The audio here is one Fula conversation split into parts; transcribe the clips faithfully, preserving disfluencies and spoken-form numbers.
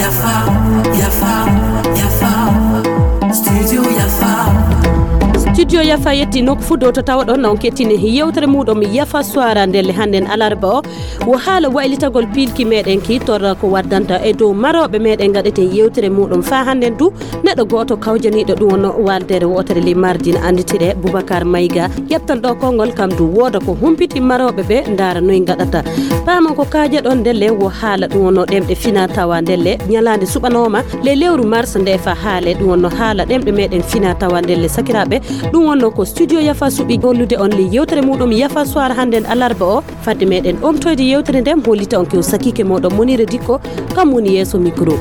Yafa, Yafa, Yafa, Studio Yafa. Studio Yafa yetti nokku fuu ɗo to tawaɗon on kettini yewtere muɗum Yafa Suwara ndelle hannden alarba o. Wo haala waylitagol piilki meɗen ki torra ko waddanta e dow marooɓe meɗen gaɗeten yewtere muɗum faa hannden du neɗɗo gooto kawjaniiɗo ɗum wonno waldere wootere ley mardi na annditire Boubacar Maïga. Ƴeftan ɗo konngol kam du wooda ko humpiti marooɓe ɓe ndaara noy ngaɗata. Paamon ko kaajaɗon ndelle wo haala ɗum wonno ɗemɗe fina tawa ndelle ñalaande suɓanooma ley lewru mars nde fa haale ɗum wonno haala ɗemɗe meɗen fina tawa ndelle sakiraaɓe. Ɗum wonno ko studio Yafa suɓi gollude on ley yewtere muɗum Yafa Suwara hannden alarba o. Fadde meɗen omtoyde yewtere nden, hollita on kew sakiike moɗon Monire Dikko, kam woni yeeso micro.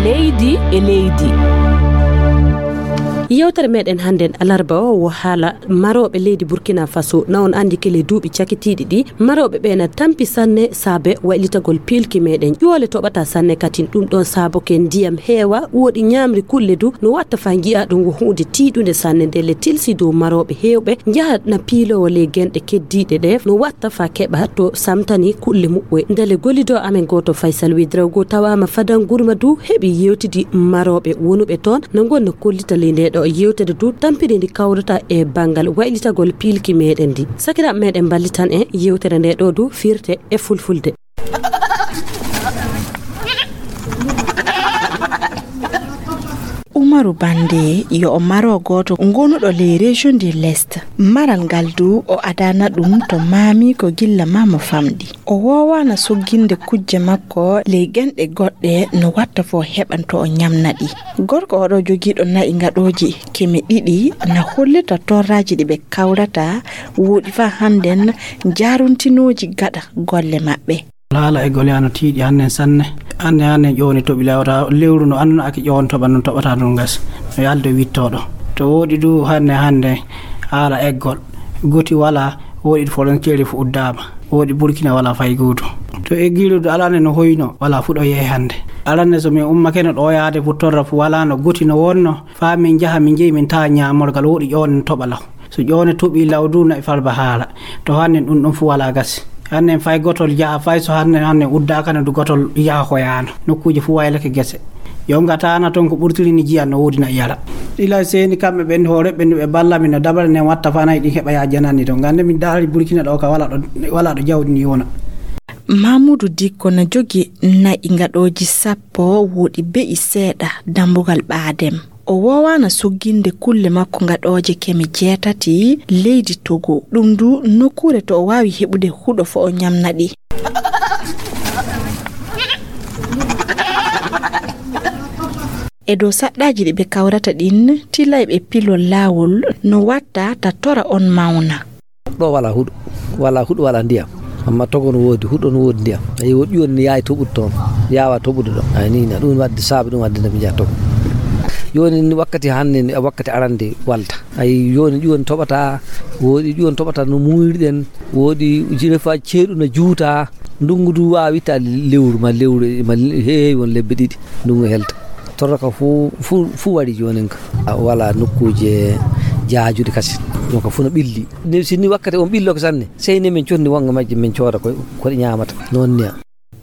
Leydi e leydi. Yewtere meɗen hannden alarba o wo haala marooɓe leydi Burkina Faso. Na on anndi kele duuɓi cakitiiɗi ɗi, marooɓe ɓe na tampi sanne saabe waylitagol piilki meɗen. Ƴoole toɓata sanne katin ɗum ɗon saaboke ndiyam heewa, woɗi ñaamri kulle du, no watta faa nji'a ɗum wo huunde tiiɗunde sanne ndelle tilsi dow marooɓe heewɓe njaha na piiloowo ley genɗe keddiiɗe ɗe, no watta faa keɓa to samtani kulle muɓɓe. Ndelle gollido amen gooto Faysal Wedra go tawaama Fadan Gurma du heɓi yewtidi marooɓe wonuɓe toon na ngonna kollita ley nde ɗo yewtere du tampiri ndi kawrata e banngal waylitagol piilki meɗen ndi. Sakiraaɓe meɗen mballitan en yewtere nde ɗo du firte e fulfulde. Umaru Bande yo o maro gooto ngonuɗo ley région de l'Est. Maral ngal du o adana ɗum to maami ko gilla ma mo famɗi. O woowaana sogginde kujje makko ley genɗe goɗɗe no watta fo heɓan to o ñamna ɗi. Gorko oɗo jogiiɗo na'i ngaɗooji keme ɗiɗi na hollita torraaji ɗi ɓe kawrata woɗi faa hannden njaaruntinooji gaɗa golle maɓɓe. Haala e gole ano tiiɗi hannen sanne. Anne hannen ƴooni toɓi lawta lewru no annduno aki ƴoon toɓa non toɓata ɗum gas. No yalde wittooɗo. To woɗi du hanne hannde haala eggol. Goti wala woɗi frontière fu uddaama. Woɗi Burkina wala fay gooto. To eggiiru du alane no hoyno wala fuɗo yehe hannde. Alane so min ummakeno ɗo yaade fu torra fu wala no goti no wonno. Faa min njaha min njeyi min tawa ñaamorgal woɗi ƴoone no toɓa law. So ƴoone toɓii law du na'i falba haala. To hannen ɗum ɗum fu wala gasi. Hannen fay gotol yaha fay so hannen hannen uddaaka no du gotol yaha hoyaano. Nokkuuje fu waylake gese. Yo ngataana toon ko ɓurtiri ni jiyan no woodi na'i yara. Ila seeni kamɓe ɓen hoore ɓe no ɓe balla min no dabare nden watta faa na'i ɗin heɓa yaa jananni toon. Ngannde min daari Burkina ɗo ka wala ɗo wala ɗo jawdi ni wona. Mamudu Dikko na jogi na'i ngaɗooji sappo woɗi be'i seeɗa dambugal ɓaadem. O woowaana sogginde kulle makko ngaɗooje keme jeetati leydi Togo. Ɗum du nokkuure to o waawi heɓude huɗo fo o ñamna ɗi. E dow saɗɗaaji ɗi ɓe kawrata ɗin, tilayɓe pilol laawol no watta ta tora on mawna. Ɗo wala huɗo, wala huɗo, wala ndiyam. Amma Togo no woodi huɗo, no woodi ndiyam. Ayi, woɗi ƴuwani ni yaawi toɓude toon, yaawa toɓude ɗo. Ayi, ni na ɗum wadde saabi ɗum wadde nde mi njaha Togo. Jooni ni wakkati hannde ni, wakkati arande walta. Ayi, jooni ƴuwani toɓata, woodi ƴuwani toɓata no muuyruɗen, woodi jirefa ceeɗu no juuta. Ndungu du waawi ta lewru ma lewru ma heewi won lebbe ɗiɗi. Ndungu helta. Torra ka fu, fu, fu wari joonin ka. A, wala nokkuuje jaajuɗe kasi. Ɗum ka fu no ɓilli. Ne si ni wakkati on ɓillo ko sanne. Sey ne min condi wonga majje min cooda ko, ko ɗi ñaamata. Noon niya.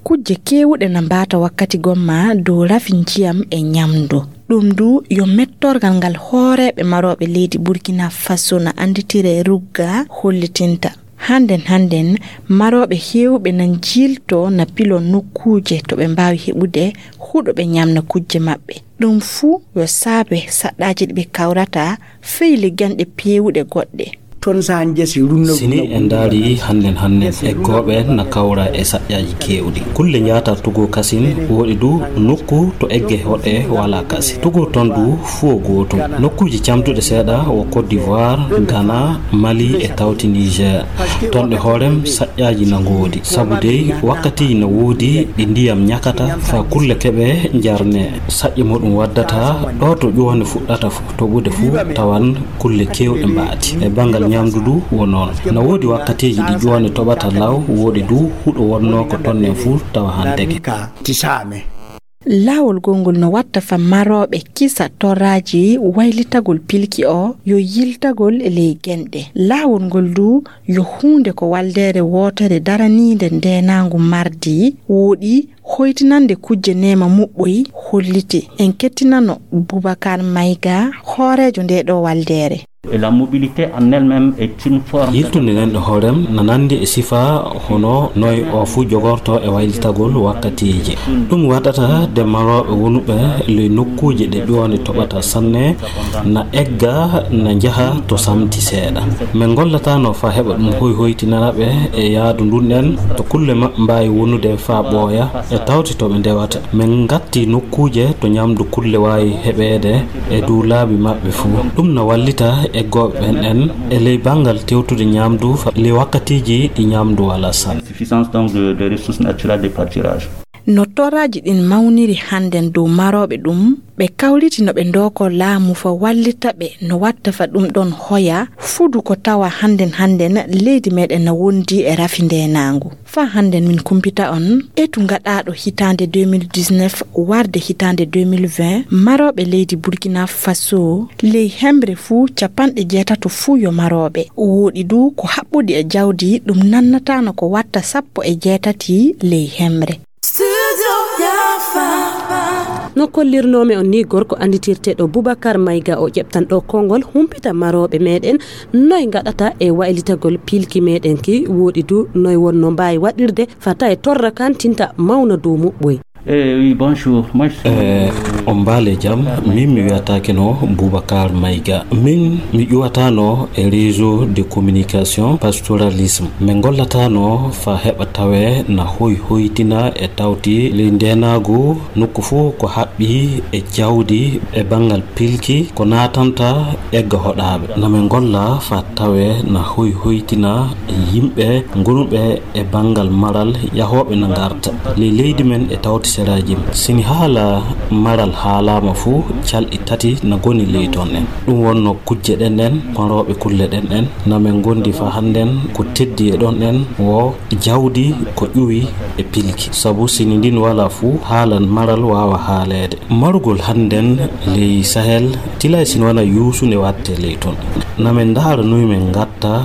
Kujje keewuɗe na mbaata wakkati gomma dow rafi njiyam e ñamdu. Ɗum du yo mettorgal ngal hooreeɓe marooɓe leydi Burkina Faso na annditire rugga hollitinta. Hannden hannden, marooɓe heewɓe na njiilto na pilo nokkuuje to ɓe mbaawi heɓude huɗo ɓe ñamna kujje maɓɓe. Ɗum fuu yo saabe saɗɗaaji ɗi ɓe kawrata fey legganɗe peewuɗe goɗɗe. Toon so haa njesi runno. Si ni en ndaari hannden hannden, eggooɓe na kawra e saƴƴaaji keewɗi. Kulle njaataa Togo kasin, woodi du nokku to egge hoɗe wala kasi. Togo toon du fuu o gootum. Nokkuuji camtuɗe seeɗa wo Côte d'Ivoire, Ghana, Mali e tawti Niger. Toon ɗe hoorem saƴƴaaji na ngoodi. Sabu dey wakkatiiji na woodi ɗi ndiyam ñakata faa kulle keɓe njarne. Saƴƴe muɗum waddata ɗo to ƴuwande fuɗɗata fu-, toɓude fuu tawan kulle keewɗe mbaati. E banngal ñamdu du wo noon. Na woodi wakkatiiji ɗi ƴuwande toɓata law, woodi du huɗo wonnoo ko tonnen fuu tawa hanteke. Tisaame. Laawol gongol no watta fa marooɓe kisa torraaji waylitagol pilki o yo yiltagol e ley genɗe. Laawol ngol du yo huunde ko waldeere wootere daraniinde ndeenaangu mardi wooɗi hoytinande kujje neema muɓɓoy holliti. En kettinano Boubacar Maïga, hooreejo ndee ɗoo waldeere. Et la mobilité en elle-même est une forme. Yiltude nen ɗo hoorem na nandi e sifa hono noy o fuu jogorto e waylitagol wakkatiiji. Ɗum waɗata de marooɓe wonuɓe ley nokkuuje ɗe ƴoone toɓata sanne na egga na njaha to samti seeɗa. Min ngollatano fa heɓa ɗum hoy hoytinana ɓe e yaadu ndun en to kulle maɓɓe mbaawi wonude fa ɓooya e tawti to ɓe ndewata. Min ngatti nokkuuje to ñamdu kulle waawi heɓeede e dow laabi maɓɓe fuu. Ɗum na wallita eggooɓe ɓen en e ley banngal tewtude ñamdu fa-, ley wakkatiiji ɗi ñamdu walaa sanne. Suffisance donc de, de ressources naturelles de pâturage. No torraaji ɗin mawniri hannden dow marooɓe ɗum, ɓe kawriti no ɓe ndooko laamu fa wallita ɓe no watta fa ɗum ɗon hoya fudu ko tawa hannden hannden leydi meɗen na wondi e rafi ndeenaangu. Fa hannden min kumpita on, etu gaɗaaɗo hitaande deux mille dix-neuf warde hitaande deux mille vingt, marooɓe leydi Burkina Faso, ley hemre fuu capanɗe jeetato fuu yo marooɓe. Wooɗi du ko haɓɓudi e jawdi, ɗum nannataano ko watta sappo e jeetati ley hemre. No kollirnoomi on ni, gorko annditirteeɗo Boubacar Maïga o ƴeɓtan ɗo konngol humpita marooɓe meɗen noy ngaɗata e waylitagol pilki meɗen ki, wooɗi du noy wonno mbaawi waɗirde fata e torra kan tinta mawna dow muɓɓoy. Eh, oui, bonjour. Moi, je suis Eh, on mbaale jam, min mi wiyataake no Boubacar Maïga. Min mi ƴuwataano e réseau de communication pastoralisme. Min ngollatano fa heɓa tawe na hoy hoytina e tawti ley ndeenaagu nokku fuu ko haɓɓi e jawdi e banngal pilki ko naatanta egga hoɗaaɓe. Na min ngolla fa tawe na hoy hoytina e yimɓe ngonuɓe e banngal maral yahooɓe na ngarta ley leydi men e tawti seraaji men. Sini haala maral haalaama fuu, calɗi tati na goni ley ton en. Ɗum wonno kujje ɗen en, marooɓe kulle ɗen en, na men ngondi fa hannden ko teddi e ɗon en wo jawdi ko ƴuwi e pilki. Sabu sini ndin walaa fuu, haala maral waawa haaleede. Marugol hannden ley Sahel, tilay sino wana yuusunde watte ley ton. Na men ndaara nuy men ngatta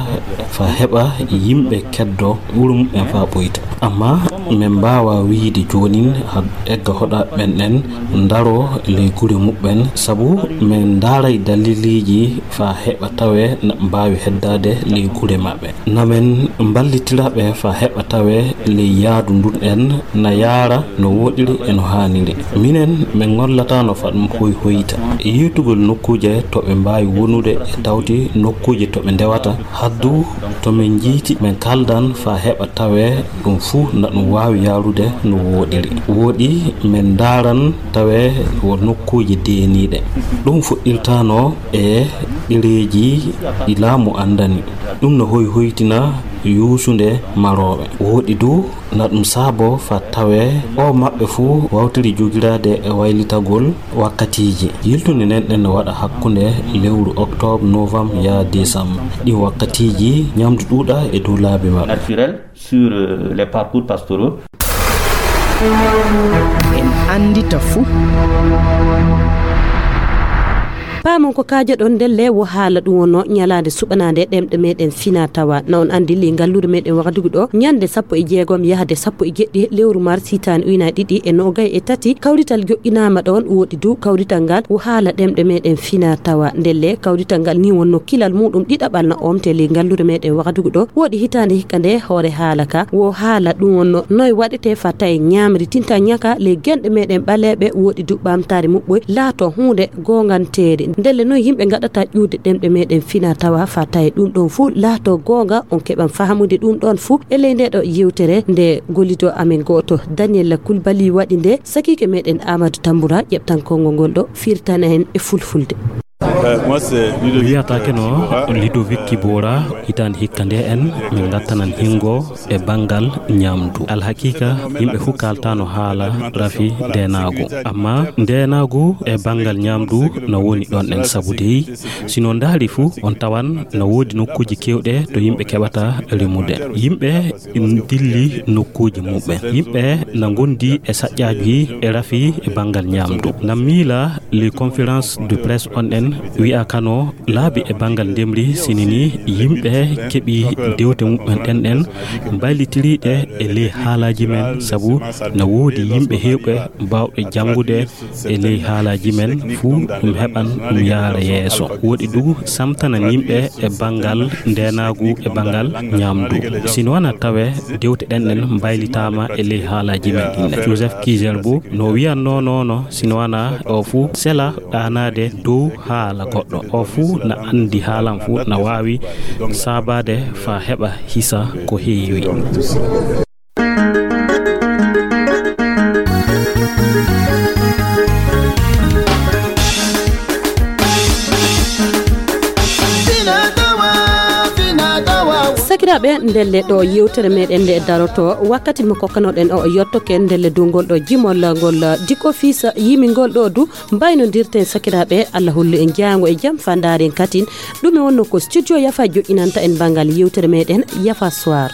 fa heɓa yimɓe keddo wuro muɓɓen fa ɓoyta. Amma men mbaawa wiide joonin ha egga hoɗa ɓen ɗen ndaro ley gure muɓɓen, sabu men ndaaray daliliiji fa heɓa tawe na mbaawi heddaade ley gure maɓɓe. Na men mballitira ɓe fa heɓa tawe ley yaadu ndun en na yaara no wooɗiri e no haaniri. Minen men ngollatano fa ɗum hoy hoyta. E yiitugol nokkuuje to ɓe mbaawi wonude e tawti nokkuuje to ɓe ndewata, haddu to men njiiti men kaldan fa heɓa tawe ɗum fuu na ɗum waawi yaarude no wooɗiri. Wooɗi men ndaaran tawe wo nokkuuje deeniiɗe. Ɗum fuɗɗirtano e ɗereeji ɗi laamu anndani. Ɗum no hoy hoytina yuusunde marooɓe. Wooɗi du na ɗum saabo fa tawe o maɓɓe fuu wawtiri jogiraade e waylitagol wakkatiiji. Yiltunde nden ɗen no waɗa hakkunde lewru octobre, novembre, yaa décembre. Ɗin wakkatiiji ñamdu ɗuuɗa e dow laabi maɓɓe. Naturel sur, euh, les parcours pastoraux. En anndita fuu. Paamon ko kaajaɗon ndelle wo haala ɗum wonno ñalaande suɓanaande ɗemɗe meɗen fina tawa. Na on anndi ley ngalluure meɗen Wagadugu ɗo, ñande sappo e jeegom yahde sappo e jeɗɗi lewru mars hitaande ujunaaji ɗiɗi e noogay e tati, kawrital joɗɗinaama ɗon, woɗi du kawrital ngal wo haala ɗemɗe meɗen fina tawa. Ndelle kawrital ngal ni wonno kilal muɗum ɗiɗaɓal na omte ley ngalluure meɗen Wagadugu ɗo, woɗi hitaande hikka nde hoore haala ka, wo haala ɗum wonno noy waɗete fa tawi ñamri tinta ñaka ley genɗe meɗen ɓaleeɓe, woɗi du ɓamtaare muɓɓoy laato huunde goonganteeri. Ndelle noy yimɓe ngaɗata ƴuwde ɗemɗe meɗen fina tawa fa tawi ɗum ɗon fuu laato goonga, on keɓan fahamude ɗum ɗon fuu e ley nde ɗo yewtere nde gollido amen gooto Daniel Kulbali waɗi nde sakiike meɗen Amadou Tambura ƴeɓtan konngol ngol ɗo firtana en e fulfulde. Wiyata keno Ludovic Kibora, hitaande hikka nde en min ngattanan hingo e banngal ñaamdu. Alhaqiqa, yimɓe fof kaaltaano haala rafi ndeenaagu. Amma ndeenaagu e banngal ñaamdu na woni ɗon en, sabu dey, si no ndaari fof, on tawan na woodi nokkuuji keewɗe to yimɓe keɓata remude. Yimɓe ndilli nokkuuji muɓɓen. Yimɓe na ngondi e saƴƴaaji e rafi e banngal ñaamdu. Na miila les conférences de presse on en wi'a kano laabi e banngal ndemri, sini ni yimɓe keɓi dewte muɓɓen ɗen ɗen mbaylitiriiɗe e ley haalaaji men, sabu na woodi yimɓe heewɓe baawɓe janngude e ley haalaaji men fuu, ɗum heɓan ɗum yaara yeeso. Woɗi du samtanan yimɓe e banngal ndeenaagu e banngal ñaamdu. Sino wana tawe dewte ɗen ɗen mbaylitaama e ley haalaaji men ɗin. Joseph Kizer Bob no wiyannoo noono, sino wana o fuu sela ɗaanaade dow haala goɗɗo. O fuu na anndi haalan fuu na waawi saabaade faa heɓa hisa ko heewi. Sakiraaɓe, ndelle ɗo yewtere meɗen nde daroto, wakkati mo kokkanoɗen o yottoke, ndelle dow ngol ɗo jimol ngol Diko Fils yimi ngol ɗo du mbaynodirten. Sakiraaɓe, Allah hollu en jaango e jam fa ndaaren katin ɗume wonno ko studio Yafa joƴƴinanta en banngal yewtere meɗen Yafa Soir.